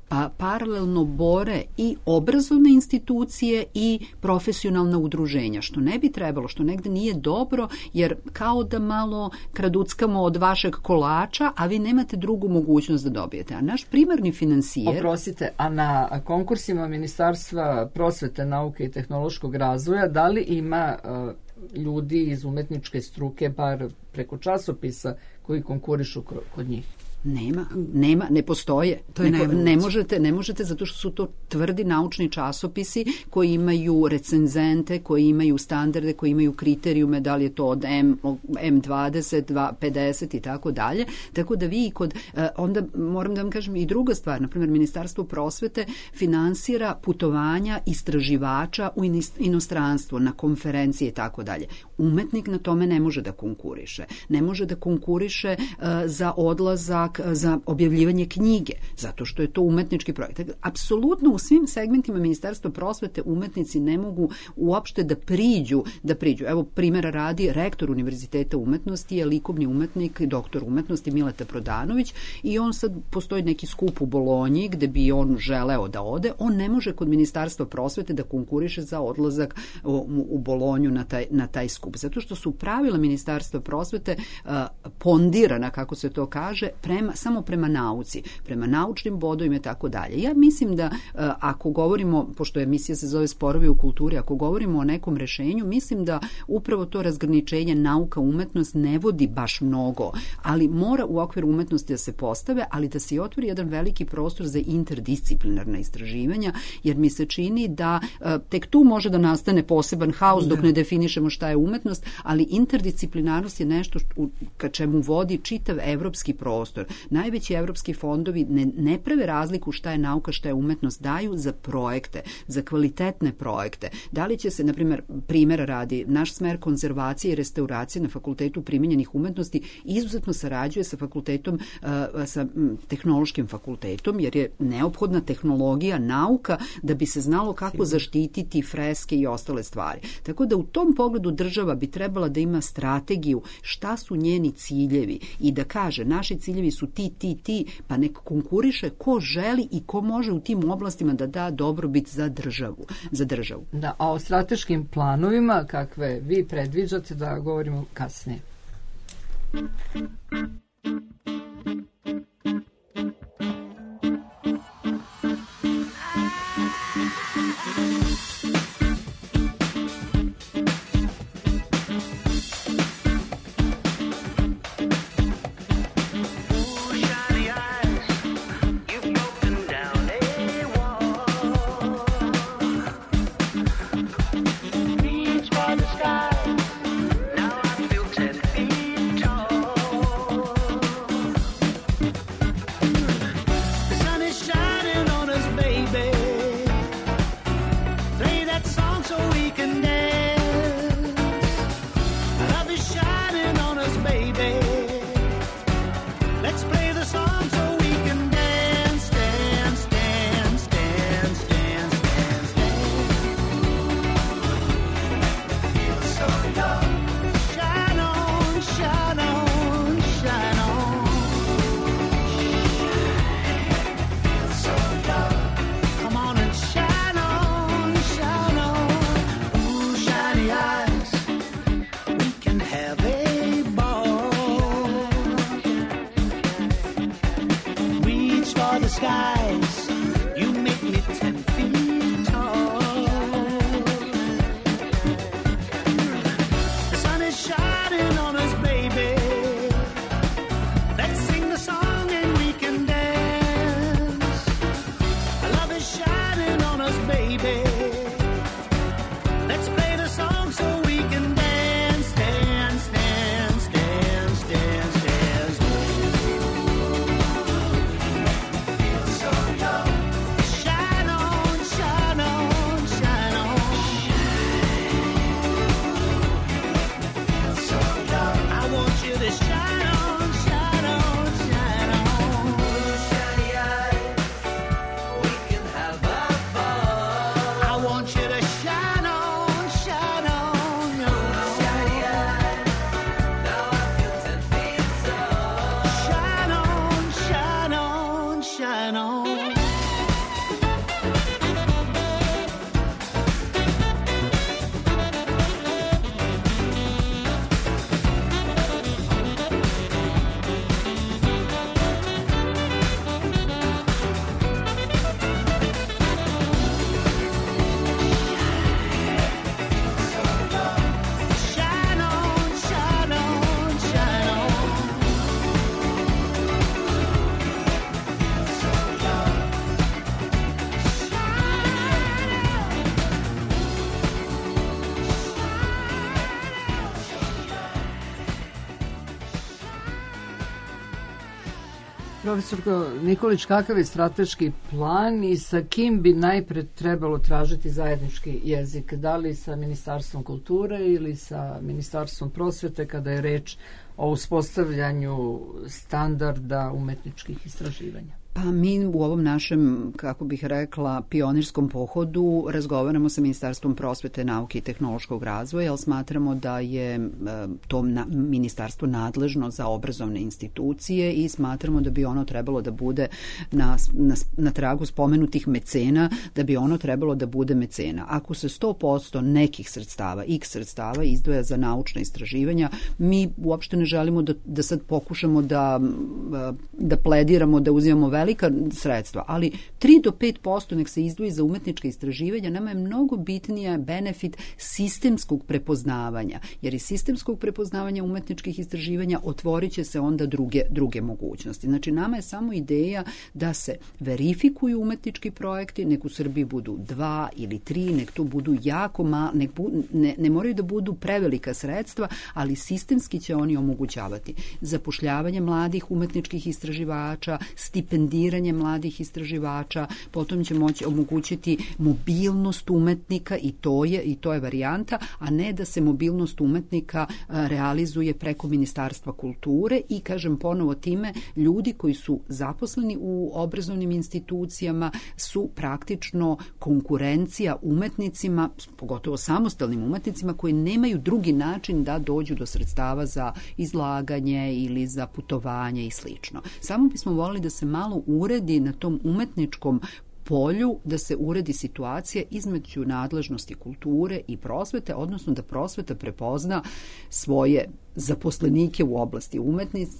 a paralelno bore i obrazovne institucije i profesionalna udruženja, što ne bi trebalo, što negde nije dobro, jer kao da malo kraduckamo od vašeg kolača, a vi nemate drugu mogućnost da dobijete. A naš primarni finansijer... Oprostite, a na konkursima Ministarstva prosvete, nauke i tehnološkog razvoja, da li ima uh, ljudi iz umetničke struke, bar preko časopisa, koji konkurišu kod njih? Nema, nema, ne postoje. To je ne, ne možete, ne možete zato što su to tvrdi naučni časopisi koji imaju recenzente, koji imaju standarde, koji imaju kriterijume, da li je to od M, M dvadeset, pedeset i tako dalje. Tako da vi kod, onda moram da vam kažem i druga stvar, na primjer Ministarstvo prosvete finansira putovanja istraživača u inostranstvo, na konferencije i tako dalje. Umetnik na tome ne može da konkuriše. Ne može da konkuriše uh, za odlazak čak za objavljivanje knjige, zato što je to umetnički projekt. Apsolutno u svim segmentima Ministarstva prosvete umetnici ne mogu uopšte da priđu, da priđu. Evo primjera radi, rektor Univerziteta umetnosti je likovni umetnik, doktor umetnosti Mileta Prodanović i on sad, postoji neki skup u Bolonji gde bi on želeo da ode, on ne može kod Ministarstva prosvete da konkuriše za odlazak u, u Bolonju na taj, na taj skup, zato što su pravila Ministarstva prosvete uh, pondirana, kako se to kaže, prema, samo prema nauci, prema naučnim bodovima i tako dalje. Ja mislim da uh, ako govorimo, pošto emisija se zove Sporovi u kulturi, ako govorimo o nekom rešenju, mislim da upravo to razgraničenje nauka, umetnost ne vodi baš mnogo, ali mora u okviru umetnosti da se postave, ali da se i otvori jedan veliki prostor za interdisciplinarna istraživanja, jer mi se čini da uh, tek tu može da nastane poseban haos dok ne definišemo šta je umetnost, ali interdisciplinarnost je nešto što, ka čemu vodi čitav evropski prostor. Najveći evropski fondovi ne, ne prave razliku šta je nauka, šta je umetnost, daju za projekte, za kvalitetne projekte. Da li će se, na primjer, primjera radi, naš smer konzervacije i restauracije na Fakultetu primenjenih umetnosti izuzetno sarađuje sa fakultetom, uh, sa m, tehnološkim fakultetom, jer je neophodna tehnologija, nauka, da bi se znalo kako zaštititi freske i ostale stvari. Tako da u tom pogledu država bi trebala da ima strategiju šta su njeni ciljevi i da kaže naši ciljevi su ti, ti, ti, pa nek konkuriše ko želi i ko može u tim oblastima da da dobrobit za državu. Za državu. Da, a o strateškim planovima kakve vi predviđate da govorimo kasnije. Profesorko Nikolić, kakav je strateški plan i sa kim bi najpre trebalo tražiti zajednički jezik? Da li sa Ministarstvom kulture ili sa Ministarstvom prosvete kada je reč o uspostavljanju standarda umetničkih istraživanja? Pa mi u ovom našem, kako bih rekla, pionirskom pohodu razgovaramo sa Ministarstvom prosvete, nauke i tehnološkog razvoja, ali smatramo da je to na, ministarstvo nadležno za obrazovne institucije i smatramo da bi ono trebalo da bude na, na, na tragu spomenutih mecena, da bi ono trebalo da bude mecena. Ako se sto posto nekih sredstava, x sredstava izdvaja za naučna istraživanja, mi uopšte ne želimo da, da sad pokušamo da, da plediramo, da uzimamo velike velika sredstva, ali tri do pet posto nek se izdvoji za umetnička istraživanja. Nama je mnogo bitnija benefit sistemskog prepoznavanja, jer iz sistemskog prepoznavanja umetničkih istraživanja otvorit će se onda druge, druge mogućnosti. Znači, nama je samo ideja da se verifikuju umetnički projekti, nek u Srbiji budu dva ili tri, nek to budu jako malo, nek bu, ne, ne moraju da budu prevelika sredstva, ali sistemski će oni omogućavati zapošljavanje mladih umetničkih istraživača, stipendiranje mladih istraživača, potom će moći omogućiti mobilnost umetnika i to je i to je varijanta, a ne da se mobilnost umetnika realizuje preko Ministarstva kulture i, kažem ponovo, time ljudi koji su zaposleni u obrazovnim institucijama su praktično konkurencija umetnicima, pogotovo samostalnim umetnicima koji nemaju drugi način da dođu do sredstava za izlaganje ili za putovanje i slično. Samo bismo volili da se malo uredi na tom umetničkom polju, da se uredi situacija između nadležnosti kulture i prosvete, odnosno da prosveta prepozna svoje zaposlenike u oblasti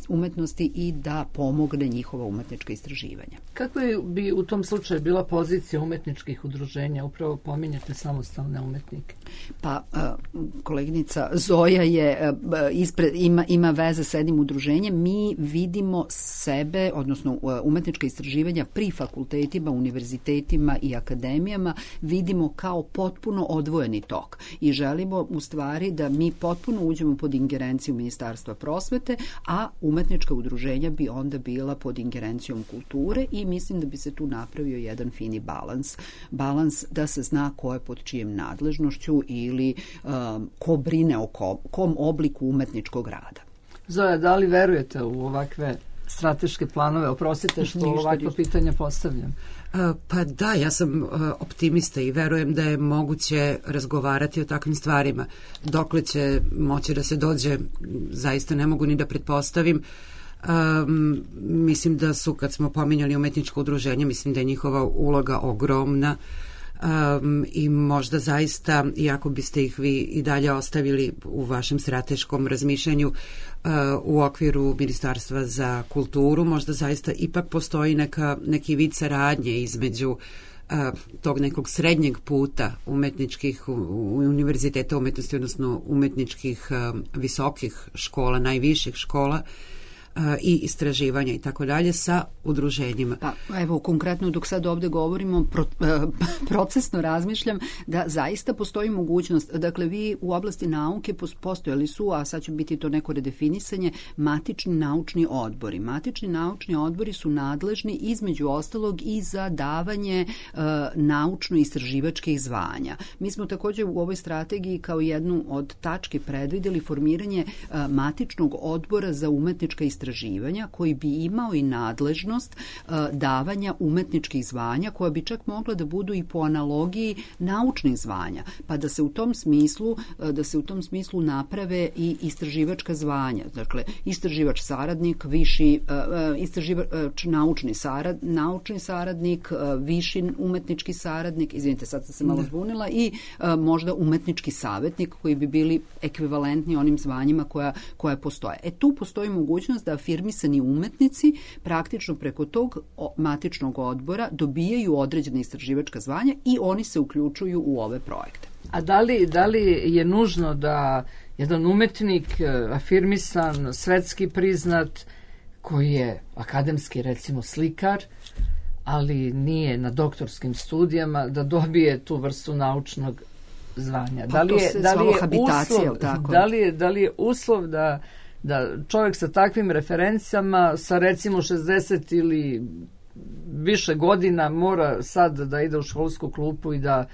umetnosti i da pomogne njihova umetnička istraživanja. Kako bi u tom slučaju bila pozicija umetničkih udruženja? Upravo pominjate samostalne umetnike. Pa, koleginica Zoja je ispred, ima, ima veze sa jednim udruženjem. Mi vidimo sebe, odnosno umetnička istraživanja pri fakultetima, univerzitetima i akademijama vidimo kao potpuno odvojeni tok i želimo u stvari da mi potpuno uđemo pod ingerenciju Ministarstva prosvete, a umetnička udruženja bi onda bila pod ingerencijom kulture i mislim da bi se tu napravio jedan fini balans. Balans da se zna ko je pod čijem nadležnošću ili um, ko brine o kom, kom obliku umetničkog rada. Zoja, da li verujete u ovakve strateške planove? Oprostite što ovakva pitanja postavljam. Pa da, ja sam optimista i verujem da je moguće razgovarati o takvim stvarima. Dokle će moći da se dođe, zaista ne mogu ni da pretpostavim. Um, mislim da su, kad smo pominjali umetničko udruženje, mislim da je njihova uloga ogromna. Um, i možda zaista, iako biste ih vi i dalje ostavili u vašem strateškom razmišljanju uh, u okviru Ministarstva za kulturu, možda zaista ipak postoji neka, neki vid saradnje između uh, tog nekog srednjeg puta umetničkih u, u univerziteta umetnosti, odnosno umetničkih uh, visokih škola, najviših škola i istraživanja i tako dalje sa udruženjima. Pa evo, konkretno dok sad ovde govorimo, pro, procesno razmišljam da zaista postoji mogućnost, dakle vi u oblasti nauke postojali su, a sad će biti to neko redefinisanje, matični naučni odbori. Matični naučni odbori su nadležni između ostalog i za davanje uh, naučno-istraživačkih zvanja. Mi smo također u ovoj strategiji kao jednu od tački predvideli formiranje uh, matičnog odbora za umetnička istraživanja istraživanja koji bi imao i nadležnost uh, davanja umetničkih zvanja koja bi čak mogla da budu i po analogiji naučnih zvanja, pa da se u tom smislu uh, da se u tom smislu naprave i istraživačka zvanja. Dakle, istraživač saradnik, viši uh, istraživač naučni sarad, naučni saradnik, uh, viši umetnički saradnik, izvinite, sad sam se malo zbunila, i uh, možda umetnički savjetnik koji bi bili ekvivalentni onim zvanjima koja, koja postoje. E tu postoji mogućnost da afirmisani umetnici praktično preko tog matičnog odbora dobijaju određene istraživačka zvanja i oni se uključuju u ove projekte. A da li, da li je nužno da jedan umetnik afirmisan, svetski priznat, koji je akademski recimo slikar, ali nije na doktorskim studijama, da dobije tu vrstu naučnog zvanja? Pa da li je, to se da li je habitacija, uslov, tako? Da li je, da li je uslov da da čovjek sa takvim referencijama, sa recimo šezdeset ili više godina mora sad da ide u školsku klupu i da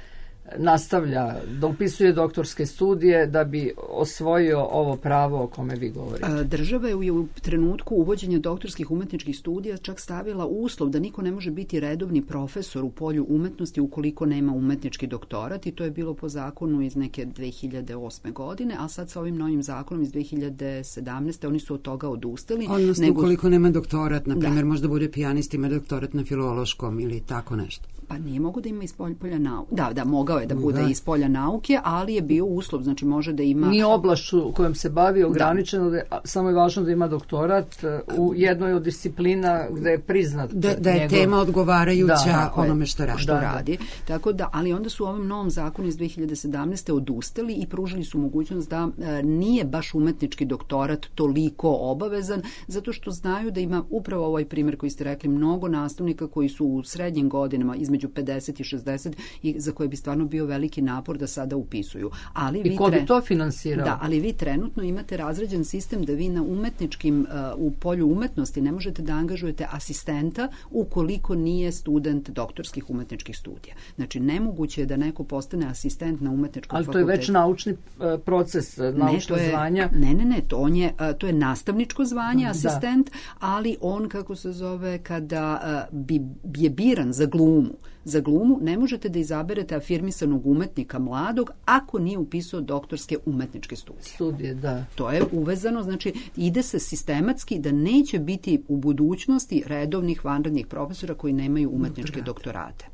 nastavlja, da upisuje doktorske studije da bi osvojio ovo pravo o kome vi govorite. Država je u trenutku uvođenja doktorskih umetničkih studija čak stavila uslov da niko ne može biti redovni profesor u polju umetnosti ukoliko nema umetnički doktorat, i to je bilo po zakonu iz neke dve hiljade osme godine, a sad sa ovim novim zakonom iz dve hiljade sedamnaeste. oni su od toga odustali. Odnosno nego... ukoliko nema doktorat, na primjer, da. možda bude pijanist, ima doktorat na filološkom ili tako nešto. Pa nije mogo da ima iz polja nauke. Da, da, mogao je da bude da. iz polja nauke, ali je bio uslov, znači može da ima... Nije oblašću kojom se bavi ograničeno, da. Da je, samo je važno da ima doktorat u jednoj od disciplina gde je priznat da, da je njegov... tema odgovarajuća da, onome što radi. Što da, radi. Da. Tako da, ali onda su u ovom novom zakonu iz dve hiljade sedamnaeste. odustali i pružili su mogućnost da e, nije baš umetnički doktorat toliko obavezan, zato što znaju da ima upravo ovaj primjer koji ste rekli, mnogo nastavnika koji su u srednjim godinama između pedeset i šezdeset i za koje bi stvarno bio veliki napor da sada upisuju. Ali I vi ko bi tre... to finansirao? Da, ali vi trenutno imate razrađen sistem da vi na umetničkim, uh, u polju umetnosti ne možete da angažujete asistenta ukoliko nije student doktorskih umetničkih studija. Znači, nemoguće je da neko postane asistent na umetničkom ali fakultetu. Ali to je već naučni uh, proces, naučno ne, je, zvanja. Ne, ne, ne, to, on je, uh, to je nastavničko zvanje, asistent, da. ali on, kako se zove, kada uh, bi, je biran za glumu, za glumu ne možete da izaberete afirmisanog umetnika mladog ako nije upisao doktorske umetničke studije. Studije, da. To je uvezano, znači ide se sistematski da neće biti u budućnosti redovnih vanrednih profesora koji nemaju umetničke doktorate.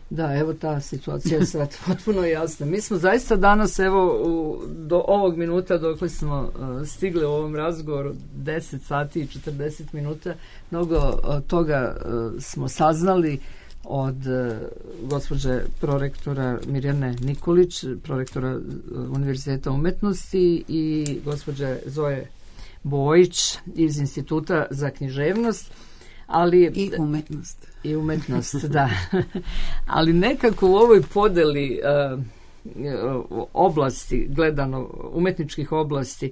Da, evo ta situacija je sad potpuno jasna. Mi smo zaista danas, evo, u, do ovog minuta dok smo uh, stigli u ovom razgovoru, deset sati i četrdeset minuta, mnogo uh, toga uh, smo saznali od uh, gospođe prorektora Mirjane Nikolić, prorektora Univerziteta umetnosti, i gospođe Zoje Bojić iz Instituta za književnost. Ali, I umetnost. I umetnost, da. Ali nekako u ovoj podeli uh, oblasti, gledano umetničkih oblasti,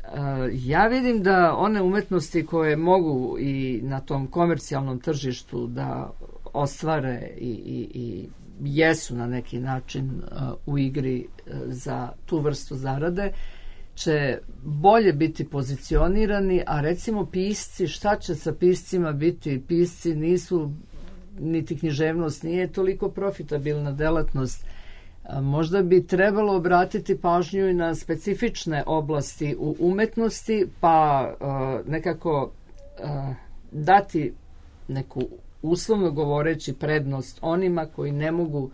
uh, ja vidim da one umetnosti koje mogu i na tom komercijalnom tržištu da ostvare i, i, i jesu na neki način uh, u igri uh, za tu vrstu zarade, će bolje biti pozicionirani, a recimo pisci, šta će sa piscima biti? Pisci nisu, niti književnost nije toliko profitabilna delatnost. A možda bi trebalo obratiti pažnju i na specifične oblasti u umetnosti, pa a, nekako a, dati neku, uslovno govoreći, prednost onima koji ne mogu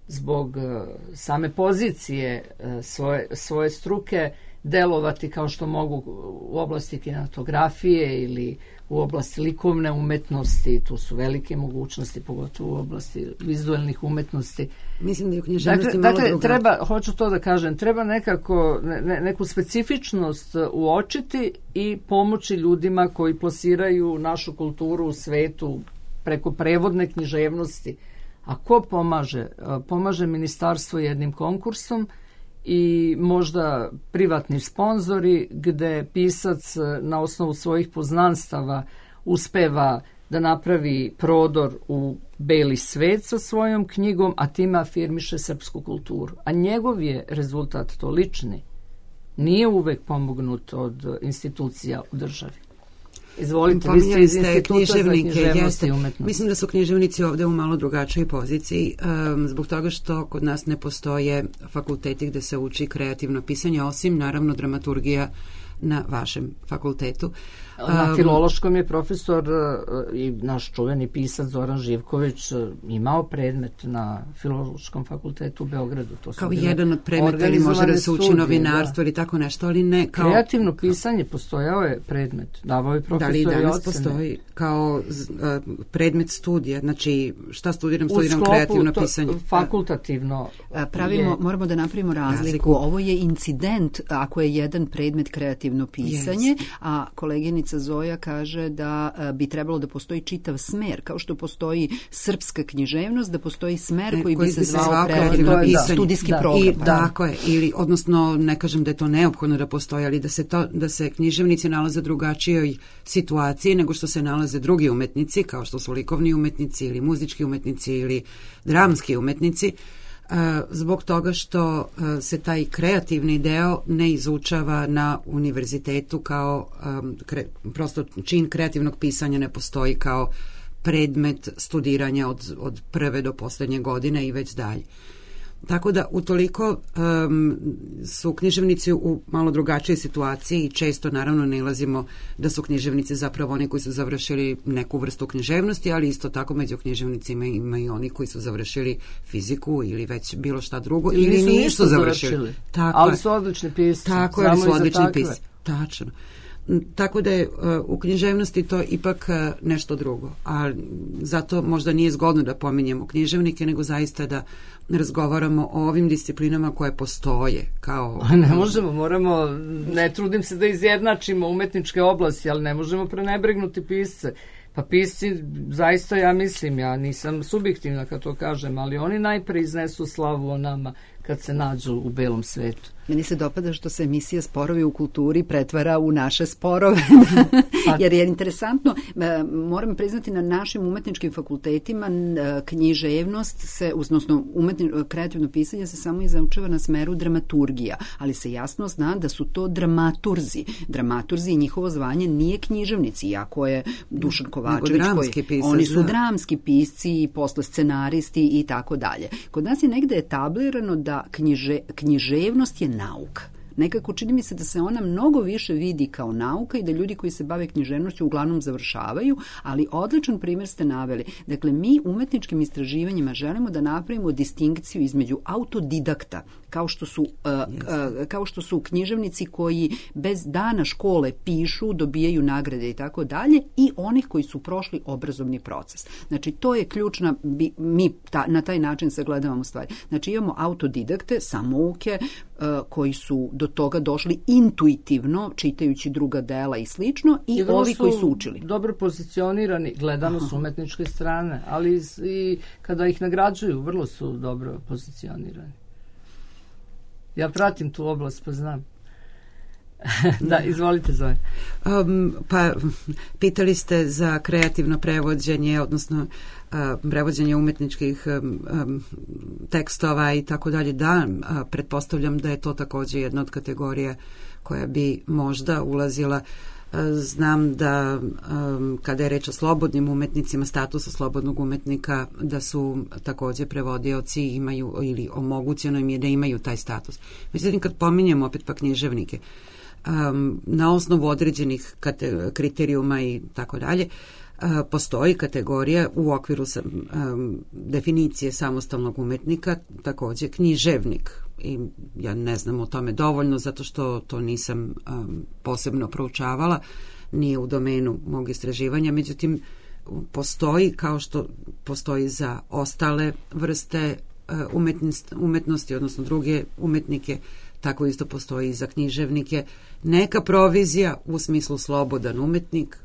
zbog a, same pozicije a, svoje, svoje struke delovati kao što mogu u oblasti kinematografije ili u oblasti likovne umetnosti. Tu su velike mogućnosti, pogotovo u oblasti vizualnih umetnosti. Mislim da je u književnosti dakle, malo dakle, druga. treba, hoću to da kažem, treba nekako ne, neku specifičnost uočiti i pomoći ljudima koji plasiraju našu kulturu u svetu preko prevodne književnosti. A ko pomaže? Pomaže ministarstvo jednim konkursom i možda privatni sponzori gde pisac na osnovu svojih poznanstava uspeva da napravi prodor u beli svet sa svojom knjigom, a time afirmiše srpsku kulturu. A njegov je rezultat to lični. Nije uvek pomognut od institucija u državi. Izvolite, vi ste iz Instituta za književnost i umetnost. Mislim da su književnici ovde u malo drugačoj poziciji, um, zbog toga što kod nas ne postoje fakulteti gde se uči kreativno pisanje, osim naravno dramaturgija na vašem fakultetu. Na filološkom je profesor i naš čuveni pisac Zoran Živković imao predmet na filološkom fakultetu u Beogradu. To kao jedan od predmeta, ili može da se uči novinarstvo, da, ili tako nešto, ali ne kao... Kreativno pisanje postojao je predmet, davao je profesor i ocene. Da li danas postoji kao uh, predmet studija, znači šta studiram, studiram kreativno to, pisanje. Fakultativno. Pravimo, je... Moramo da napravimo razliku. razliku. Ovo je incident ako je jedan predmet kreativno pisanje, yes. a koleginica koleginica Zoja kaže da a, bi trebalo da postoji čitav smer, kao što postoji srpska književnost, da postoji smer E, koji, koji bi se bi se zvao zvao kreativno kreativno pisanje, studijski Da. program. I, pa. tako je, ili, odnosno, ne kažem da je to neophodno da postoji, ali da se, to, da se književnici nalaze u drugačijoj situaciji nego što se nalaze drugi umetnici, kao što su likovni umetnici ili muzički umetnici ili dramski umetnici, uh, zbog toga što uh, se taj kreativni deo ne izučava na univerzitetu kao, um, kre, prosto čin kreativnog pisanja ne postoji kao predmet studiranja od, od prve do poslednje godine i već dalje. Tako da utoliko um, su književnici u malo drugačijoj situaciji i često naravno nalazimo da su književnici zapravo oni koji su završili neku vrstu književnosti, ali isto tako među književnicima ima i oni koji su završili fiziku ili već bilo šta drugo ili, ili nisu, nisu završili. završili. Tako ali je. su odlični pisci. Tako je, su odlični pisci. Tačno. Tako da je uh, u književnosti to ipak uh, nešto drugo, a zato možda nije zgodno da pominjemo književnike, nego zaista da razgovaramo o ovim disciplinama koje postoje kao... A ne možemo, moramo, ne trudim se da izjednačimo umetničke oblasti, ali ne možemo prenebregnuti pisce. Pa pisci, zaista ja mislim, ja nisam subjektivna kad to kažem, ali oni najpre iznesu slavu o nama kad se nađu u belom svetu. Meni se dopada što se emisija Sporovi u kulturi pretvara u naše sporove. Jer je interesantno, moram priznati, na našim umetničkim fakultetima književnost se, odnosno umetni, kreativno pisanje se samo izučava na smeru dramaturgija, ali se jasno zna da su to dramaturzi. Dramaturzi i njihovo zvanje nije književnici, iako je Dušan Kovačević, koji, pisac, oni su da. dramski pisci i posle scenaristi i tako dalje. Kod nas je negde etablirano da knjiže, književnost je nauka. Nekako čini mi se da se ona mnogo više vidi kao nauka i da ljudi koji se bave književnošću uglavnom završavaju, ali odličan primjer ste naveli. Dakle, mi umetničkim istraživanjima želimo da napravimo distinkciju između autodidakta, kao što su, uh, uh, kao što su književnici koji bez dana škole pišu, dobijaju nagrade i tako dalje, i onih koji su prošli obrazovni proces. Znači, to je ključna, bi, mi ta, na taj način sagledavamo stvari. Znači, imamo autodidakte, samouke, uh, koji su do toga došli intuitivno, čitajući druga dela i slično, i, I ovi koji su učili. Dobro pozicionirani, gledano s umetničke strane, ali i kada ih nagrađuju, vrlo su dobro pozicionirani. Ja pratim tu oblast, pa znam. Da, izvolite, Zoja. Um, pa, pitali ste za kreativno prevođenje, odnosno uh, prevođenje umetničkih um, um, tekstova i tako dalje. Da, uh, pretpostavljam da je to takođe jedna od kategorija koja bi možda ulazila. Uh, znam da um, kada je reč o slobodnim umetnicima, statusu slobodnog umetnika, da su takođe prevodioci imaju, ili omogućeno im je da imaju taj status. Međutim, kad pominjemo opet pa književnike, Um, na osnovu određenih kate, kriterijuma i tako dalje, uh, postoji kategorija u okviru sam, um, definicije samostalnog umetnika, takođe književnik. I ja ne znam o tome dovoljno, zato što to nisam um, posebno proučavala, nije u domenu mog istraživanja, međutim postoji, kao što postoji za ostale vrste uh, umetnosti, umetnosti, odnosno druge umetnike, tako isto postoji i za književnike. Neka provizija u smislu slobodan umetnik,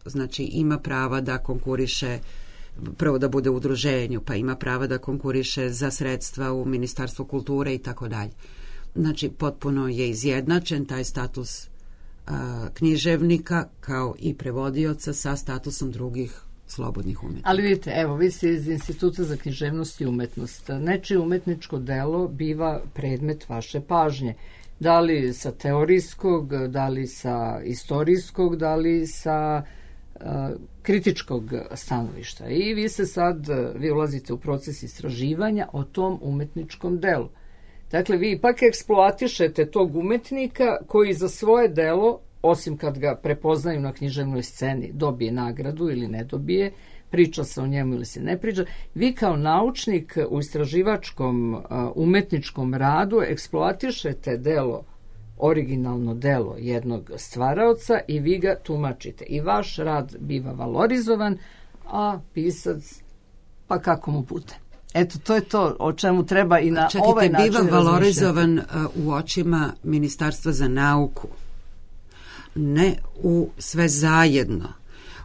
znači ima prava da konkuriše, prvo da bude u udruženju, pa ima prava da konkuriše za sredstva u Ministarstvu kulture i tako dalje. Znači, potpuno je izjednačen taj status a, književnika kao i prevodioca sa statusom drugih slobodnih umetnika. Ali vidite, evo, vi ste iz Instituta za književnost i umetnost. Nečije umetničko delo biva predmet vaše pažnje. Da li sa teorijskog, da li sa istorijskog, da li sa uh, kritičkog stanovišta. I vi se sad, vi ulazite u proces istraživanja o tom umetničkom delu. Dakle, vi ipak eksploatišete tog umetnika koji za svoje delo, osim kad ga prepoznaju na književnoj sceni, dobije nagradu ili ne dobije, priča se o njemu ili se ne priča, vi kao naučnik u istraživačkom uh, umetničkom radu eksploatišete delo, originalno delo jednog stvaraoca i vi ga tumačite. I vaš rad biva valorizovan, a pisac, pa kako mu bude. Eto, to je to o čemu treba i na Čekajte, ovaj način biva valorizovan uh, u očima Ministarstva za nauku. ne u sve zajedno.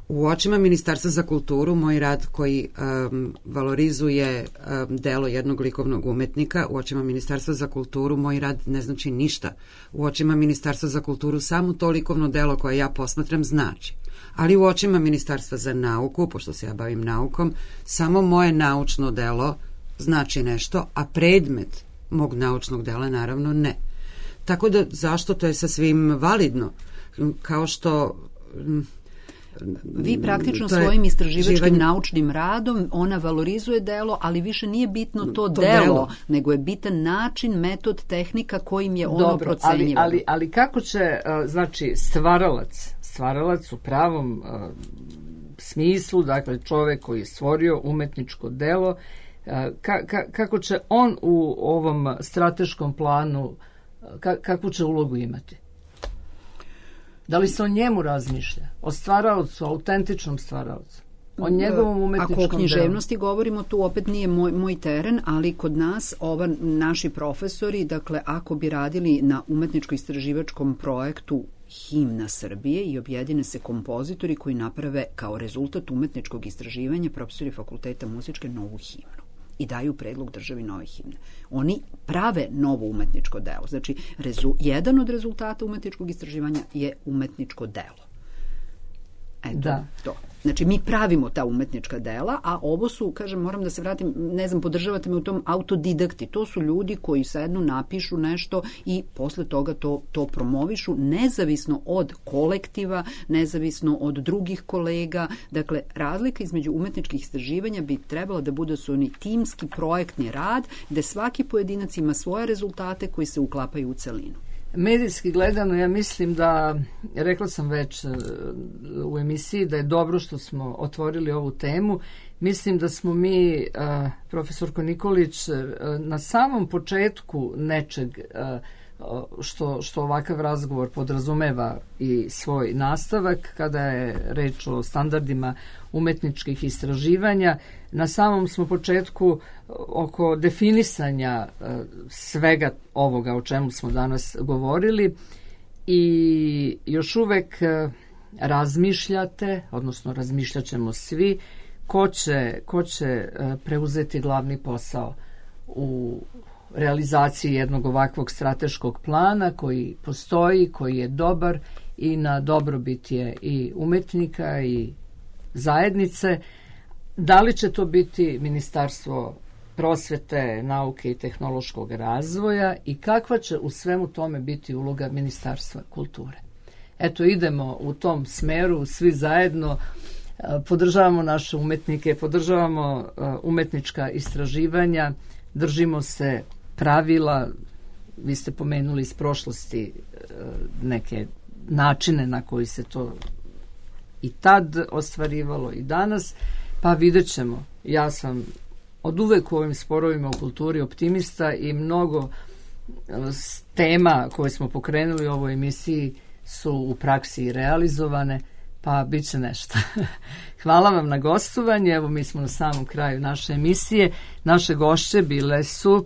U očima Ministarstva za kulturu moj rad koji um, valorizuje um, delo jednog likovnog umetnika, u očima Ministarstva za kulturu moj rad ne znači ništa. U očima Ministarstva za kulturu samo to likovno delo koje ja posmatram znači. Ali u očima Ministarstva za nauku, pošto se ja bavim naukom, samo moje naučno delo znači nešto, a predmet mog naučnog dela naravno ne. Tako da zašto, to je sasvim validno. Kao što... Vi praktično je, svojim istraživačkim živanje... naučnim radom ona valorizuje delo, ali više nije bitno to, to delo, delo, nego je bitan način, metod, tehnika kojim je ono Dobro, procenjivano. ali, ali, ali kako će, znači, stvaralac, stvaralac u pravom uh, smislu, dakle čovek koji je stvorio umetničko delo, uh, ka, ka, kako će on u ovom strateškom planu, ka, kakvu će ulogu imati? Da li se o njemu razmišlja? O stvaraocu, autentičnom stvaraocu? O njegovom umetničkom delu? Ako o književnosti govorimo, tu opet nije moj, moj teren, ali kod nas ova, naši profesori, dakle, ako bi radili na umetničko-istraživačkom projektu Himna Srbije i objedine se kompozitori koji naprave kao rezultat umetničkog istraživanja profesori fakulteta muzičke novu himnu i daju predlog državi nove himne. Oni prave novo umetničko delo. Znači, rezu, jedan od rezultata umetničkog istraživanja je umetničko delo. Eto, da. to. Znači, mi pravimo ta umetnička dela, a ovo su, kažem, moram da se vratim, ne znam, podržavate me u tom autodidakti. To su ljudi koji sednu, napišu nešto i posle toga to, to promovišu, nezavisno od kolektiva, nezavisno od drugih kolega. Dakle, razlika između umetničkih istraživanja bi trebala da bude su oni timski projektni rad, gde svaki pojedinac ima svoje rezultate koji se uklapaju u celinu. Medijski gledano, ja mislim da, rekla sam već u emisiji, da je dobro što smo otvorili ovu temu. Mislim da smo mi, profesorko Nikolić, na samom početku nečeg što, što ovakav razgovor podrazumeva i svoj nastavak, kada je reč o standardima umetničkih istraživanja. Na samom smo početku oko definisanja svega ovoga o čemu smo danas govorili i još uvek razmišljate, odnosno razmišljat ćemo svi, ko će, ko će preuzeti glavni posao u realizaciji jednog ovakvog strateškog plana koji postoji, koji je dobar i na dobrobit je i umetnika i zajednice. Da li će to biti Ministarstvo prosvete, nauke i tehnološkog razvoja i kakva će u svemu tome biti uloga Ministarstva kulture? Eto, idemo u tom smeru, svi zajedno podržavamo naše umetnike, podržavamo umetnička istraživanja, držimo se pravila. Vi ste pomenuli iz prošlosti neke načine na koji se to i tad ostvarivalo i danas, pa vidjet ćemo. Ja sam od uvek u ovim sporovima u kulturi optimista i mnogo tema koje smo pokrenuli u ovoj emisiji su u praksi realizovane, pa bit će nešto. Hvala vam na gostovanje. Evo, mi smo na samom kraju naše emisije. Naše gošće bile su uh,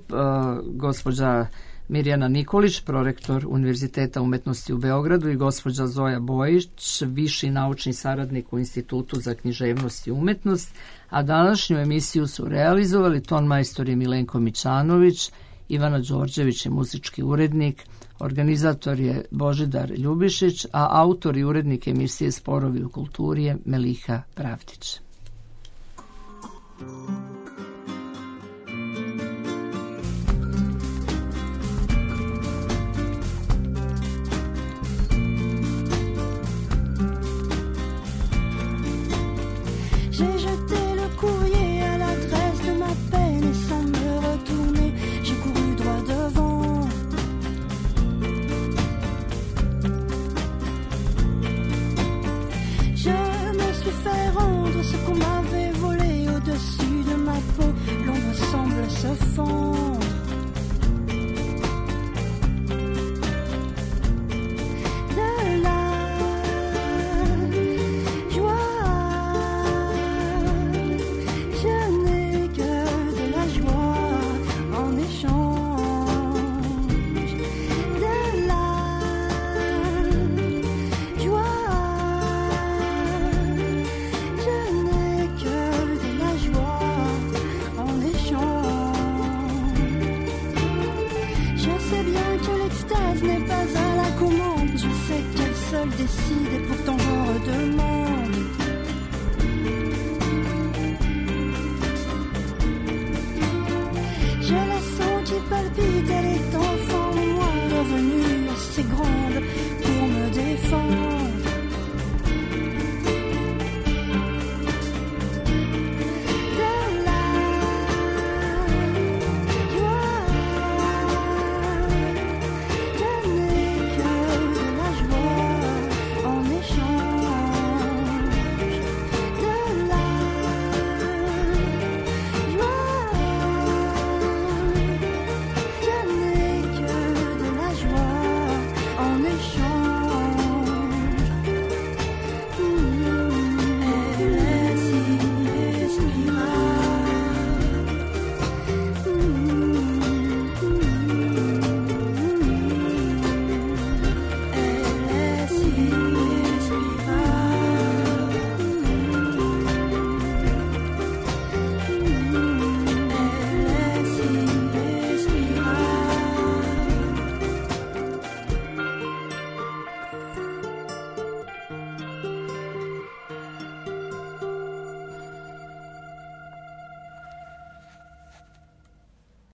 gospođa Mirjana Nikolić, prorektor Univerziteta umetnosti u Beogradu, i gospođa Zoja Bojić, viši naučni saradnik u Institutu za književnost i umetnost, a današnju emisiju su realizovali tonmajstor je Milenko Mićanović, Ivana Đorđević je muzički urednik, organizator je Božidar Ljubišić, a autor i urednik emisije Sporovi u kulturi je Meliha Pravdić. J'ai jeté le courrier à l'adresse de ma peine et sans me retourner, j'ai couru droit devant. Je me suis fait rendre ce qu'on m'avait volé au-dessus de seul décide et pourtant j'en redemande.